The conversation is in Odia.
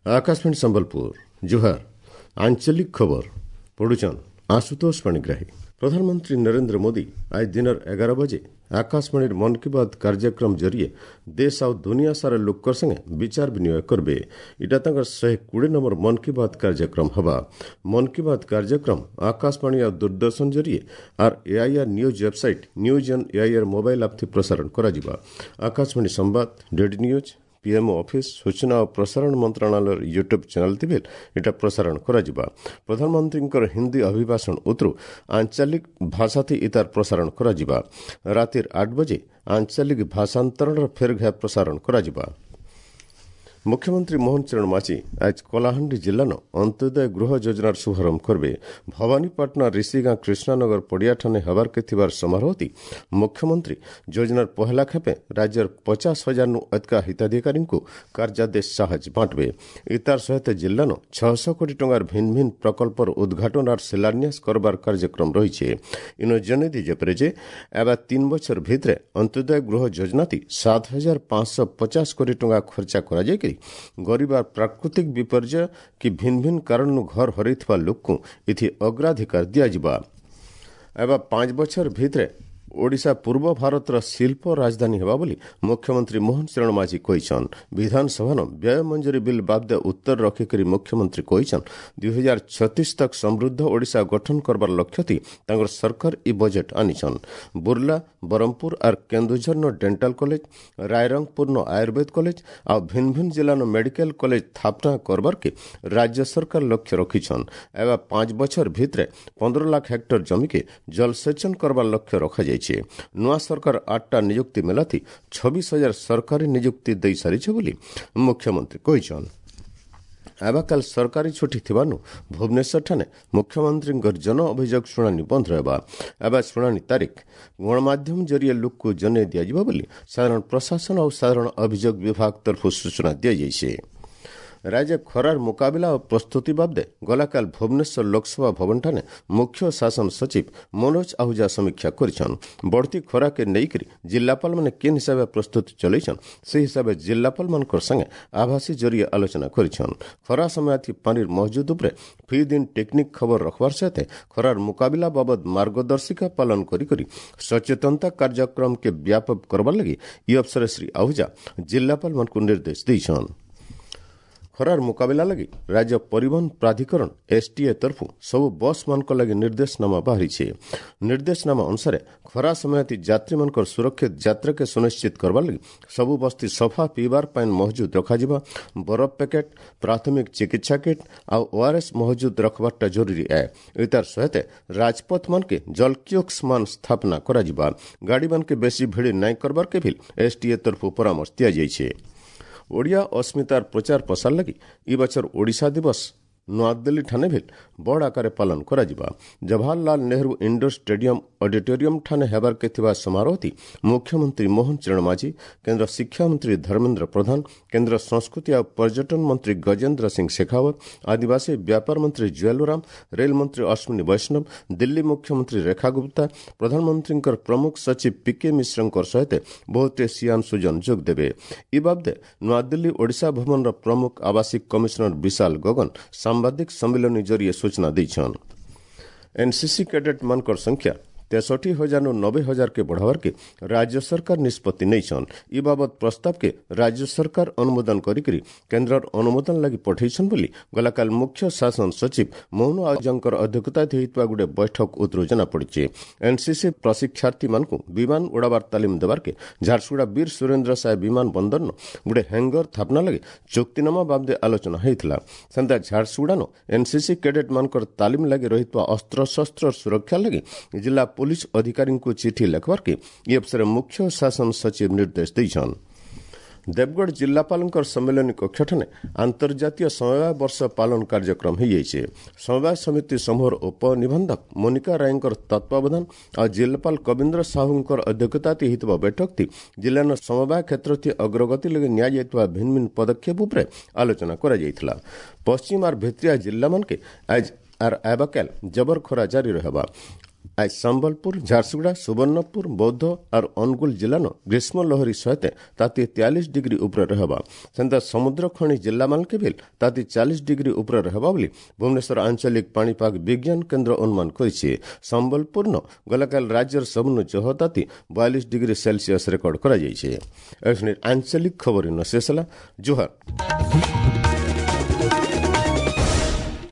ଆକାଶବାଣୀ ସମ୍ବଲପୁର, ଜୁହାର। ଆଞ୍ଚଳିକ ଖବର ପଢୁଛନ୍ ଆଶୁତୋଷ ପାଣିଗ୍ରାହୀ। ପ୍ରଧାନମନ୍ତ୍ରୀ ନରେନ୍ଦ୍ର ମୋଦି ଆଜ ଦିନର 11 ବଜେ ଆକାଶବାଣୀର ମନ୍ କି ବାତ୍ କାର୍ଯ୍ୟକ୍ରମ ଜରିଏ ଦେଶ ଆଉ ଦୁନିଆ ସାରା ଲୋକର ସାଙ୍ଗେ ବିଚାର ବିନିମୟ କରିବେ। ଇଟା ତାଙ୍କର 120 ନମ୍ବର ମନ୍ କି ବାତ୍ କାର୍ଯ୍ୟକ୍ରମ ହେବା। ମନ୍ କି ବାତ୍ କାର୍ଯ୍ୟକ୍ରମ ଆକାଶବାଣୀ ଆଉ ଦୂରଦର୍ଶନ ଜରିଏ ଆର୍ AIR news website, news on AIR mobile app ଥି ପ୍ରସାରଣ କରାଯିବା। ଆକାଶବାଣୀ ସମ୍ବାଦ, ଡିଡି ନ୍ୟୁଜ୍, ପିଏମ୍ଓ ଅଫିସ୍, ସୂଚନା ଓ ପ୍ରସାରଣ ମନ୍ତ୍ରଣାଳୟର ୟୁଟ୍ୟୁବ୍ ଚ୍ୟାନେଲ୍ ଥିବେ ଏଟା ପ୍ରସାରଣ କରାଯିବା। ପ୍ରଧାନମନ୍ତ୍ରୀଙ୍କର ହିନ୍ଦୀ ଅଭିଭାଷଣ ଉତରୁ ଆଞ୍ଚଳିକ ଭାଷାଥି ଇତାର ପ୍ରସାରଣ କରାଯିବା। ରାତିର 8 ବଜେ ଆଞ୍ଚଳିକ ଭାଷାନ୍ତରଣର ଫେର୍ ଘା ପ୍ରସାରଣ କରାଯିବା। ମୁଖ୍ୟମନ୍ତ୍ରୀ ମୋହନ ଚରଣ ମାଝୀ ଆଜ କଳାହାଣ୍ଡି ଜିଲ୍ଲାନ ଅନ୍ତ୍ୟୋଦୟ ଗୃହ ଯୋଜନାର ଶୁଭାରମ୍ଭ କରିବେ। ଭବାନୀପାଟଣା ରିଷିଗାଁ କୃଷ୍ଣାନଗର ପଡ଼ିଆଠାନେ ହେବାର୍କେ ଥିବାର ସମାରୋହତି ମୁଖ୍ୟମନ୍ତ୍ରୀ ଯୋଜନାର ପହଲା ଖେପେ ରାଜ୍ୟର 50,000 ନୁ ଅଧିକା ହିତାଧିକାରୀଙ୍କୁ କାର୍ଯ୍ୟାଦେଶ ସାହାଯ୍ୟ ବାଣ୍ଟବେ। ଇତାର ସହିତ ଜିଲ୍ଲାନ 600 କୋଟି ଟଙ୍କାର ଭିନ୍ନ ଭିନ୍ନ ପ୍ରକଳ୍ପର ଉଦ୍ଘାଟନ ଆର୍ ଶିଳାନ୍ୟାସ କରବାର କାର୍ଯ୍ୟକ୍ରମ ରହିছে। ଇନ ଜଣେଇ ଦିଆଯାଇପାରେ ଯେ ଏବେ 3 ବଛର ଭିତରେ ଅନ୍ତ୍ୟୋଦୟ ଗୃହ ଯୋଜନାତି 7,550 କୋଟି ଟଙ୍କା ଖର୍ଚ୍ଚା କରାଯାଇକରି ଗରିବ ଆର୍ ପ୍ରାକୃତିକ ବିପର୍ଯ୍ୟୟ କି ଭିନ୍ନ ଭିନ୍ନ କାରଣରୁ ଘର ହରାଇଥିବା ଲୋକକୁ ଏଥି ଅଗ୍ରାଧିକାର ଦିଆଯିବା। ଏବେ 5 ବଛର ଭିତରେ ଓଡ଼ିଶା ପୂର୍ବ ଭାରତର ଶିଳ୍ପ ରାଜଧାନୀ ହେବା ବୋଲି ମୁଖ୍ୟମନ୍ତ୍ରୀ ମୋହନ ଚରଣ ମାଝୀ କହିଛନ୍। ବିଧାନସଭାନ ବ୍ୟୟ ମଞ୍ଜୁରୀ ବିଲ୍ ବାବଦେ ଉତ୍ତର ରଖିକରି ମୁଖ୍ୟମନ୍ତ୍ରୀ କହିଛନ୍, 2036 ତକ୍ ସମୃଦ୍ଧ ଓଡ଼ିଶା ଗଠନ କରବାର ଲକ୍ଷ୍ୟଥି ତାଙ୍କର ସରକାର ଇ ବଜେଟ୍ ଆନିଛନ୍। ବୁର୍ଲା, ବ୍ରହ୍ମପୁର ଆର୍ କେନ୍ଦୁଝରନ ଡେଣ୍ଟାଲ କଲେଜ, ରାୟରଙ୍ଗପୁରନ ଆୟୁର୍ବେଦ କଲେଜ ଆଉ ଭିନ୍ନ ଭିନ୍ନ ଜିଲ୍ଲାନ ମେଡିକାଲ କଲେଜ ସ୍ଥାପନା କରବାର୍କେ ରାଜ୍ୟ ସରକାର ଲକ୍ଷ୍ୟ ରଖିଛନ୍। ଏବେ 5 ବଛର ଭିତରେ 15 ଲାଖ ହେକ୍ଟର ଜମିକେ ଜଳସେଚନ କରବାର ଲକ୍ଷ୍ୟ ରଖାଯାଇଛି। ନୂଆ ସରକାର 8ଟା ନିଯୁକ୍ତି ମେଲାଥି 26,000 ସରକାରୀ ନିଯୁକ୍ତି ଦେଇସାରିছে ବୋଲି ମୁଖ୍ୟମନ୍ତ୍ରୀ କହିଛନ୍। ଆବାକାଲ ସରକାରୀ ଛୁଟି ଥିବାରୁ ଭୁବନେଶ୍ୱରଠାରେ ମୁଖ୍ୟମନ୍ତ୍ରୀଙ୍କର ଜନ ଅଭିଯୋଗ ଶୁଣାଣି ବନ୍ଦ ରହିବା। ଏବେ ଶୁଣାଣି ତାରିଖ ଗଣମାଧ୍ୟମ ଜରିଏ ଲୋକକୁ ଜଣାଇ ଦିଆଯିବ ବୋଲି ସାଧାରଣ ପ୍ରଶାସନ ଓ ସାଧାରଣ ଅଭିଯୋଗ ବିଭାଗ ତରଫରୁ ସୂଚନା ଦିଆଯାଇଛି। ରାଜ୍ୟ ଖରାର ମୁକାବିଲା ଓ ପ୍ରସ୍ତୁତି ବାବଦେ ଗଲାକାଲ ଭୁବନେଶ୍ୱର ଲୋକସଭା ଭବନଠାରେ ମୁଖ୍ୟ ଶାସନ ସଚିବ ମନୋଜ ଆହୁଜା ସମୀକ୍ଷା କରିଛନ୍। ବଢ଼ତି ଖରାକେ ନେଇକରି ଜିଲ୍ଲାପାଳମାନେ କେନ୍ ହିସାବେ ପ୍ରସ୍ତୁତି ଚଲେଇଛନ୍, ସେହି ହିସାବେ ଜିଲ୍ଲାପାଳମାନଙ୍କର ସାଙ୍ଗେ ଆଭାସୀ ଜରିଏ ଆଲୋଚନା କରିଛନ୍। ଖରା ସମୟ ପାଣିର ମହଜୁଦ ଉପରେ ଫି ଦିନ ଟେକ୍ନିକ୍ ଖବର ରଖବାର ସହିତ ଖରାର ମୁକାବିଲା ବାବଦ ମାର୍ଗଦର୍ଶିକା ପାଳନ କରି କରି ସଚେତନତା କାର୍ଯ୍ୟକ୍ରମକେ ବ୍ୟାପକ କରବାର ଲାଗି ଇ ଅବସରରେ ଶ୍ରୀ ଆହୁଜା ଜିଲ୍ଲାପାଳମାନଙ୍କୁ ନିର୍ଦ୍ଦେଶ ଦେଇଛନ୍। ଖରାର ମୁକାବିଲା ଲାଗି ରାଜ୍ୟ ପରିବହନ ପ୍ରାଧିକରଣ ଏସ୍ଟିଏ ତରଫରୁ ସବୁ ବସ୍ମାନଙ୍କ ଲାଗି ନିର୍ଦ୍ଦେଶନାମା ବାହାରିছে। ନିର୍ଦ୍ଦେଶନାମା ଅନୁସାରେ ଖରା ସମୟତି ଯାତ୍ରୀମାନଙ୍କର ସୁରକ୍ଷିତ ଯାତ୍ରାକେ ସୁନିଶ୍ଚିତ କରବାର ଲାଗି ସବୁ ବସ୍ତି ସଫା ପିଇବାର ପାଣି ମହଜୁଦ ରଖାଯିବା, ବରଫ ପ୍ୟାକେଟ୍, ପ୍ରାଥମିକ ଚିକିତ୍ସା କିଟ୍ ଆଉ ଓଆର୍ଏସ୍ ମହଜୁଦ ରଖବାରଟା ଜରୁରୀ ଏ। ଏତାର ସହିତ ରାଜପଥମାନକେ ଜଲକିଓକ୍ସ ମାନ ସ୍ଥାପନା କରାଯିବା, ଗାଡ଼ିମାନକେ ବେଶୀ ଭିଡ଼ ନାଇଁ କରବାରକେ ବି ଏସ୍ଟିଏ ତରଫରୁ ପରାମର୍ଶ ଦିଆଯାଇଛି। ଓଡ଼ିଆ ଅସ୍ମିତାର ପ୍ରଚାର ପ୍ରସାର ଲାଗି ଇ ବଛର ଓଡ଼ିଶା ଦିବସ ନୂଆଦିଲ୍ଲୀ ଠାନେ ଭିଲ୍ ବଡ଼ ଆକାରରେ ପାଳନ କରାଯିବା। Jawaharlal Nehru indoor stadium auditorium ଠାନେ ହେବାର୍କେ ଥିବା ସମାରୋହତି ମୁଖ୍ୟମନ୍ତ୍ରୀ ମୋହନ ଚରଣ ମାଝୀ, କେନ୍ଦ୍ର ଶିକ୍ଷାମନ୍ତ୍ରୀ ଧର୍ମେନ୍ଦ୍ର ପ୍ରଧାନ, କେନ୍ଦ୍ର ସଂସ୍କୃତି ଆଉ ପର୍ଯ୍ୟଟନ ମନ୍ତ୍ରୀ ଗଜେନ୍ଦ୍ର ସିଂ ଶେଖାୱତ, ଆଦିବାସୀ ବ୍ୟାପାର ମନ୍ତ୍ରୀ ଜୁଏଲ ଓରାମ, ରେଲ ମନ୍ତ୍ରୀ ଅଶ୍ୱିନୀ ବୈଷ୍ଣବ, ଦିଲ୍ଲୀ ମୁଖ୍ୟମନ୍ତ୍ରୀ ରେଖା ଗୁପ୍ତା, ପ୍ରଧାନମନ୍ତ୍ରୀଙ୍କର ପ୍ରମୁଖ ସଚିବ ପିକେ ମିଶ୍ରଙ୍କର ସହିତ ବହୁତେ ସିଆନ ସୁଜନ ଯୋଗ ଦେବେ। ଇ ବାବଦେ ନୂଆଦିଲ୍ଲୀ ଓଡ଼ିଶା ଭବନର ପ୍ରମୁଖ ଆବାସିକ କମିଶନର ବିଶାଲ ଗଗନ ସାମ୍ବାଦିକ ସମ୍ମିଳନୀ ଜରିଏ ସୂଚନା ଦେଇଛନ୍। ଏନ୍ସିସି କ୍ୟାଡେଟ୍ମାନଙ୍କର ସଂଖ୍ୟା 63,000 90,000 କେ ବଢ଼ାବାର୍କେ ରାଜ୍ୟ ସରକାର ନିଷ୍ପତ୍ତି ନେଇଛନ୍। ଇ ବାବଦ ପ୍ରସ୍ତାବକେ ରାଜ୍ୟ ସରକାର ଅନୁମୋଦନ କରିକରି କେନ୍ଦ୍ରର ଅନୁମୋଦନ ଲାଗି ପଠେଇଛନ୍ ବୋଲି ଗଲାକାଲ ମୁଖ୍ୟ ଶାସନ ସଚିବ ମୋହନ ଆହୁଜାଙ୍କର ଅଧ୍ୟକ୍ଷତାରେ ହୋଇଥିବା ଗୋଟେ ବୈଠକ ଉତରୁ ଜଣାପଡ଼ିଛି। ଏନ୍ସିସି ପ୍ରଶିକ୍ଷାର୍ଥୀମାନଙ୍କୁ ବିମାନ ଉଡ଼ାବାର ତାଲିମ ଦେବାର୍କେ ଝାରସୁଗୁଡ଼ା ବୀର ସୁରେନ୍ଦ୍ର ସାଏ ବିମାନ ବନ୍ଦରନ ଗୋଟେ ହ୍ୟାଙ୍ଗର ସ୍ଥାପନା ଲାଗି ଚୁକ୍ତିନାମା ବାବଦେ ଆଲୋଚନା ହୋଇଥିଲା। ସେନ୍ତା ଝାରସୁଗୁଡ଼ାନ ଏନ୍ସିସି କ୍ୟାଡେଟ୍ମାନଙ୍କର ତାଲିମ ଲାଗି ରହିଥିବା ଅସ୍ତ୍ରଶସ୍ତ୍ର ସୁରକ୍ଷା ଲାଗି ଜିଲ୍ଲା ପୋଲିସ ଅଧିକାରୀଙ୍କୁ ଚିଠି ଲେଖବାର୍କେ ଇ ଅବସରରେ ମୁଖ୍ୟ ଶାସନ ସଚିବ ନିର୍ଦ୍ଦେଶ ଦେଇଛନ୍। ଦେବଗଡ଼ ଜିଲ୍ଲାପାଳଙ୍କର ସମ୍ମିଳନୀ କକ୍ଷଠାରେ ଆନ୍ତର୍ଜାତୀୟ ସମବାୟ ବର୍ଷ ପାଳନ କାର୍ଯ୍ୟକ୍ରମ ହୋଇଯାଇଛି। ସମବାୟ ସମିତି ସମୂହର ଉପନିବନ୍ଧକ ମୋନିକା ରାୟଙ୍କର ତତ୍ତ୍ୱାବଧାନ ଆଉ ଜିଲ୍ଲାପାଳ କବୀନ୍ଦ୍ର ସାହୁଙ୍କର ଅଧ୍ୟକ୍ଷତାରେ ହୋଇଥିବା ବୈଠକଟି ଜିଲ୍ଲାର ସମବାୟ କ୍ଷେତ୍ରଟି ଅଗ୍ରଗତି ଲାଗି ନିଆଯାଇଥିବା ଭିନ୍ନ ଭିନ୍ନ ପଦକ୍ଷେପ ଉପରେ ଆଲୋଚନା କରାଯାଇଥିଲା। ପଶ୍ଚିମ ଆର୍ ଭିତ୍ରିଆ ଜିଲ୍ଲାମାନକେ ଆଜ ଆର୍ ଆବାକାଲ ଜବର ଖରା ଜାରି ରହିବା। ଆଜ ସମ୍ବଲପୁର, ଝାରସୁଗୁଡ଼ା, ସୁବର୍ଣ୍ଣପୁର, ବୌଦ୍ଧ ଆର୍ ଅନୁଗୁଳ ଜିଲ୍ଲାନ ଗ୍ରୀଷ୍ମ ଲହରୀ ସହିତ ତାତି 43 ଡିଗ୍ରୀ ଉପରେ ରହିବା। ସେନ୍ତା ସମୁଦ୍ର ଖଣି ଜିଲ୍ଲାମାନକେ ବି ତାତି 40 ଡିଗ୍ରୀ ଉପରେ ରହିବା ବୋଲି ଭୁବନେଶ୍ୱର ଆଞ୍ଚଳିକ ପାଣିପାଗ ବିଜ୍ଞାନ କେନ୍ଦ୍ର ଅନୁମାନ କରିଛି। ସମ୍ବଲପୁରନ ଗଲାକାଲି ରାଜ୍ୟର ସବୁନୁ ଜହ ତାତି 42 ଡିଗ୍ରୀ ସେଲସିୟସ୍ ରେକର୍ଡ କରାଯାଇଛି। ଆଞ୍ଚଳିକ ଖବର ଶେଷ ହେଲା। ଜୁହାର।